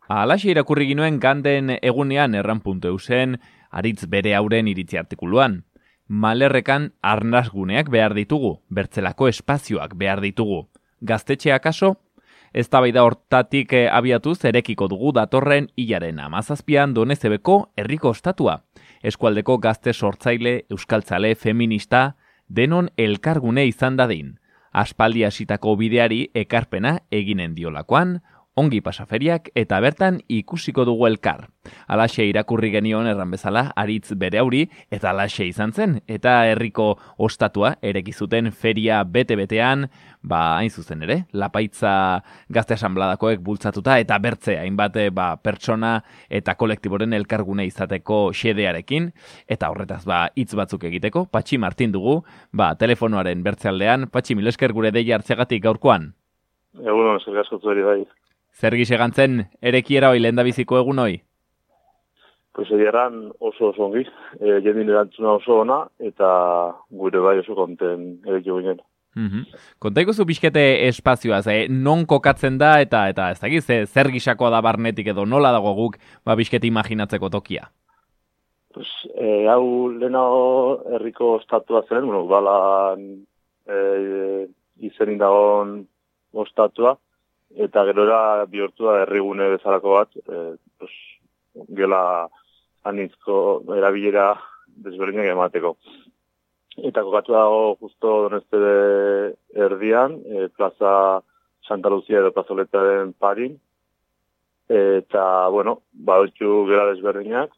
Alaxe irakurri ginuen Ganden egunean erran.eusen aritz bere hauren iritzi artikuluan. Malerrekan arnasguneak behar ditugu, bertzelako espazioak behar ditugu. Gaztetxea kaso? Eztabaida hortatik abiatuz erekiko dugu datorren hilaren 17an Donezebeko herriko ostatua. Eskualdeko gazte sortzaile, euskaltzale, feminista, denon elkargune izan dadin. Aspaldi hasitako bideari ekarpena eginen diolakoan, ongi pasaferiak eta bertan ikusiko dugu elkar. Alaxe irakurri genion erran bezala aritz bere hauri eta alaxe izan zen. Eta herriko ostatua ereki zuten feria bete-betean, hain zuzen ere, Lapaitza Gazte Asanbladakoek bultzatuta eta bertze hainbat pertsona eta kolektiboren elkargune izateko xedearekin. Eta horretaz hitz batzuk egiteko, Patxi Martin dugu, telefonoaren bertzealdean. Patxi, mil esker gure deia hartzeagatik gaurkoan. Egunon, zer gaskotu eri bai. Zer gisegantzen erekiera hoi lehendabiziko egun hoi? Pues egeran oso ongi, jendin erantzuna oso ona, eta gure bai oso konten erekio ginen. Kontaiko zu pixkete espazioaz, non kokatzen da eta ez dakiz, zer gisakoa da barnetik edo nola dago guk pixkete imaginatzeko tokia? Pues, hau lehenago herriko ostatua zen, balan izenin dagoen ostatua, eta gerora bihurtu da herrigune bezalako bat, gela anitzko erabilera desberdinak emateko. Eta kokatu dago justo Doneztebe erdian, plaza Santa Lucia edo plazoletaren parin, eta, badotxu gela desberdinak,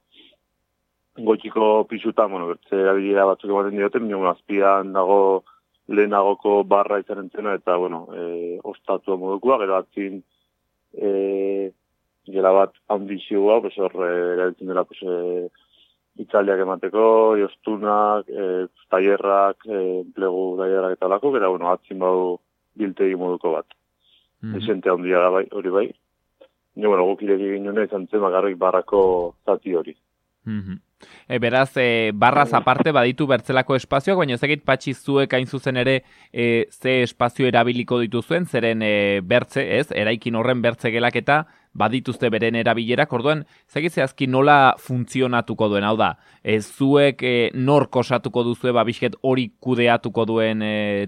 goitxiko pisutan, bertze erabilera batzuk ematen dioten, azpian dago lehenagoko barra izan entzena, eta, ostatua modukoa, gero atzin gela bat handixioa, erabiltzen dela, itzaldiak emateko, joztunak, tailerrak, enplegu tailerrak eta lako, gero, atzin badu biltegi moduko bat. Desente handia da hori bai. Guk ireki ginen izan zen bakarrik barrako zati hori. Beraz, barraz aparte baditu bertzelako espazioak, baina ezagit Patxi zuek hain zuzen ere ze espazio erabiliko dituzuen, zeren bertze, eraikin horren bertze gelaketa badituzte beren erabilerak, orduan, ezagit zehazki nola funtzionatuko duen, hau da, zuek nork osatuko duzue babisket hori kudeatuko duen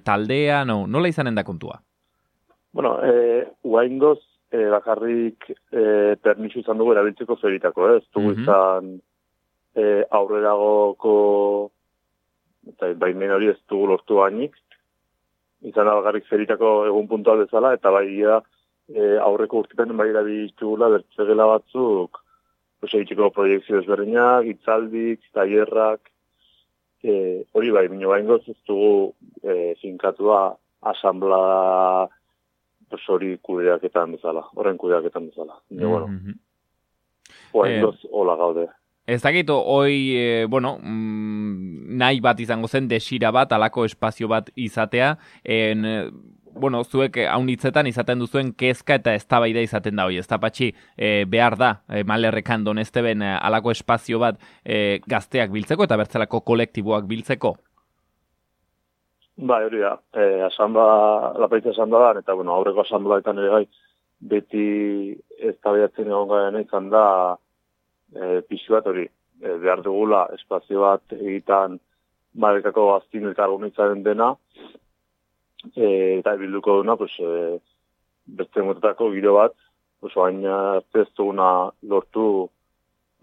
taldea, nola izanen da kontua? Uaingoz, bakarrik permisu izan dugu erabiltzeko feritako, ez dugu izan aurreragoko eta baimen hori ez dugu lortu bainik, izan da bakarrik feritako egun puntual bezala, eta aurreko urtetan bai erabiltugula bertzegela batzuk egiteko proiektzio desberdinak, itzaldik, tailerrak, hori bai, baingoz ez dugu finkatua asamblea hori kudeaketan bezala, horren kudeaketan bezala. Baingoz hola gaude. Ez dakit, hoi, nahi bat izango zen, desira bat, alako espazio bat izatea, zuek haunitzetan izaten duzuen kezka eta eztabaida izaten da hoi, ez da Patxi, behar da, Malerrekan Donezteben alako espazio bat gazteak biltzeko eta bertzelako kolektiboak biltzeko? Bai, hori da, Lapaitza asanbladan, eta aurreko asanbladetan ere gai, beti eztabaidatzen egon garen izan da, pixu bat hori, behar dugula espazio bat egitan Malerrekako gaztin elkargunitzaren dena, eta bilduko duna, beste motetako giro bat, baina ez duguna lortu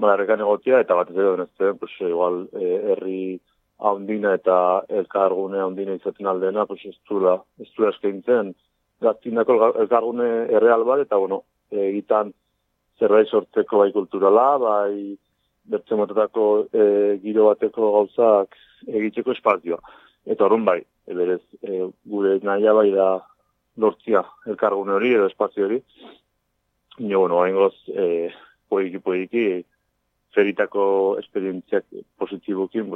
Malerrekan egotia, eta bat ez edo denezten, igual herri haundina eta elkargune haundina izaten aldena, ez duela eskaintzen gaztindako elkargune erreal bat, eta egitan zerbait sortzeko bai kulturala, bai bertze motetako giro bateko gauzak egiteko espazioa. Eta horren bai, berez gure nahia bai da lortzia elkargune hori edo espazio hori. Haingoz, poiki, feritako esperientziak positibokin,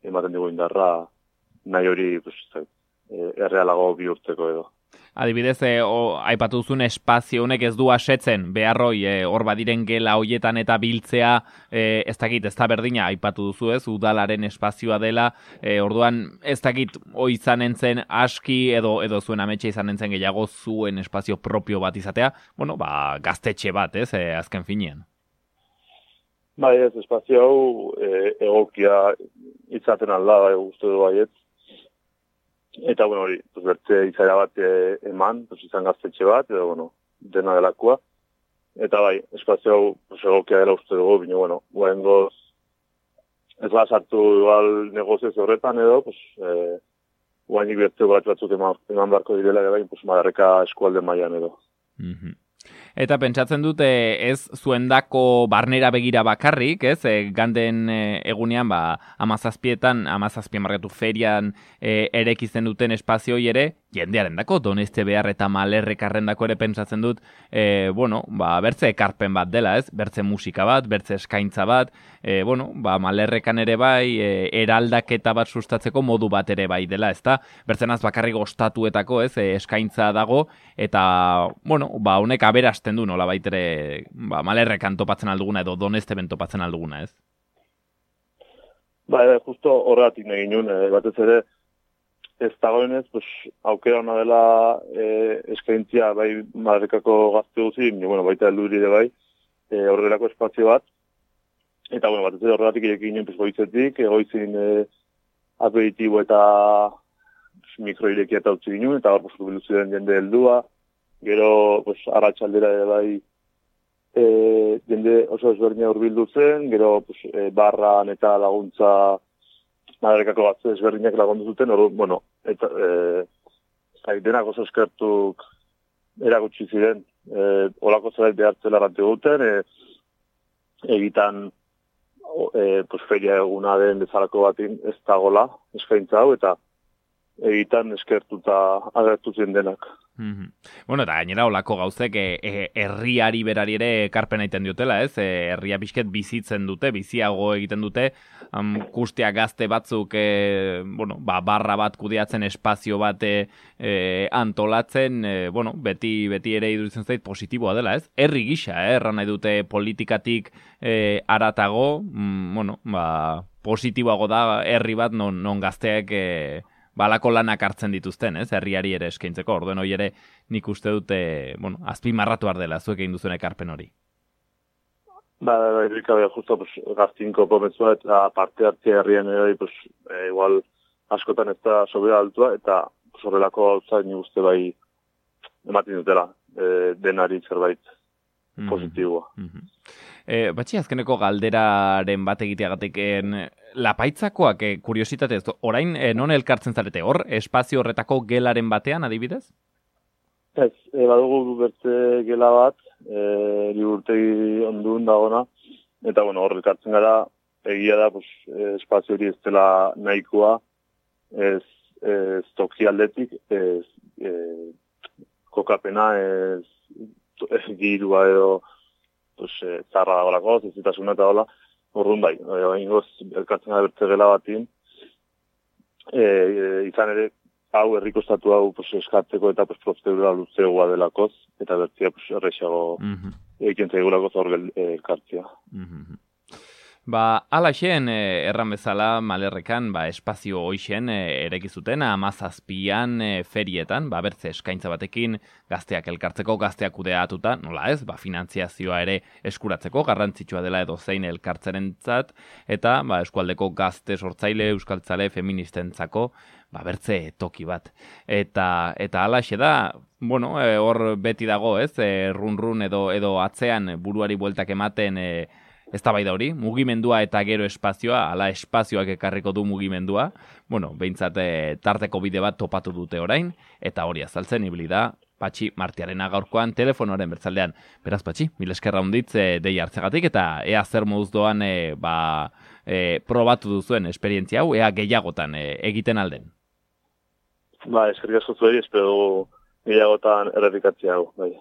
ematen dugu indarra nahi hori errealago bihurtzeko edo. adibidez, aipatu duzun espazio honek ez du asetzen, beharroi, hor badiren gela hoietan eta biltzea, ez dakit, ez da berdina, aipatu duzu ez, udalaren espazioa dela, orduan, ez dakit, izanen zen aski, edo zuen ametxe izanen zen gehiago zuen espazio propio bat izatea, bueno, gaztetxe bat, ez, azken finean. Bai, ez, espazio hau egokia izaten alda, uste du baiet. Eta, bueno, hori, bertze izaera bat eman, izan gaztetxe bat, edo, bueno, dena delakoa. Eta bai, espazio hau egokia dela uste dugu, bine, bueno, guahengoz ez sartu igual negozioz horretan edo, guainik bertze batzuk eman barko direla, bai, Madarreka eskualde mailan edo. Eta pentsatzen dute ez zuendako barnera begira bakarrik, ez? Ganden egunean, 17 markatu ferian erekitzen duten espazioi ere, jendearen dako, Doneste behar eta Malerrekarren dako ere pentsatzen dut, bertze ekarpen bat dela, ez? Bertze musika bat, bertze eskaintza bat, Malerrekan ere bai, eraldaketa bat sustatzeko modu bat ere bai dela, ezta? Bertzenaz bakarrik ostatuetako, ez? Eskaintza dago, eta, honek aberazten du nola baitere, Malerrekan topatzen alduguna edo Donesteben topatzen alduguna, ez? Justo horregatik nahi ginen, batez ere, ez dagoenez, aukera hona dela eskaintzia bai Madarrekako gazte guzi, baita helduri ere bai, horrelako espazio bat, eta batez ere horregatik irekin ginen goizetik, egoizin aperitibo eta mikroirekia eta utzi ginen, eta hor bilduzu den jende heldua, gero arratsaldera ere bai jende oso ezberdina hurbildu zen, gero barran eta laguntza Madarrekako gazte ezberdinak lagundu zuten, eta denak oso eskertuk erakutsi ziren, olako zerbait behartzela errante duten, egitan feria eguna den bezalako batin ez dagola eskaintza hau, eta egitan eskertuta agertu zen denak. Eta gainera olako gauzek herriari berari ere ekarpen egiten diotela, ez? Herria pixket bizitzen dute, biziago egiten dute, kustia gazte batzuk, barra bat kudeatzen, espazio bat antolatzen, beti ere iduritzen zait positiboa dela, ez? Herri gisa, erran nahi dute politikatik aratago, positiboago da herri bat non gazteak balako lanak hartzen dituzten, ez? Herriari ere eskaintzeko, orduen hori ere nik uste dute, azpimarratu dela zuek egin duzuen ekarpen hori. Justo gaztinko pomezua eta parte hartzea herrian ere, igual askotan ez da sobera altua, eta horrelako gauza nik uste bai ematen dutela, denari zerbait positiboa. Batxi, azkeneko galderaren bat egiteagatik, lapaitzakoak, kuriositatez, orain non elkartzen zarete, hor, espazio horretako gelaren batean, adibidez? Ez, badugu bertze gela bat, liburtegi ondun dagona, eta hor elkartzen gara, egia da, espazio hori ez dela nahikoa, ez toki aldetik, ez kokapena, ez girua edo, zarra dagoelako, zezitasuna eta hola, orduan bai, ingoz elkartzen gara bertze gela batin, izan ere, hau errikostatu hau eskatzeko eta prozedura luzegoa delakoz, eta bertzea errexago egiten zaigulako hor elkartzea. Alaxen, erran bezala, Malerrekan, espazio hoixen erekizuten, 17an ferietan, bertze eskaintza batekin, gazteak elkartzeko, gazteak kudeatuta, nola ez, finantziazioa ere eskuratzeko, garrantzitsua dela edo zein elkartzerentzat, eta eskualdeko gazte sortzaile, euskaltzale, feministentzako, bertze toki bat. Eta alaxe da, hor beti dago, ez, run edo atzean buruari bueltak ematen, ez da bai da hori, mugimendua eta gero espazioa, ala espazioak ekarriko du mugimendua, behintzat tarteko bide bat topatu dute orain, eta hori azaltzen ibili da, Patxi Martiarena gaurkoan telefonoaren bertzaldean. Beraz, Patxi, mil eskerra hunditz dei hartzegatik, eta ea zer moduz doan probatu duzuen esperientzia hau, ea gehiagotan egiten alden. Eskerrik asko zuei, espero gehiagotan errepikatzea hau, bai.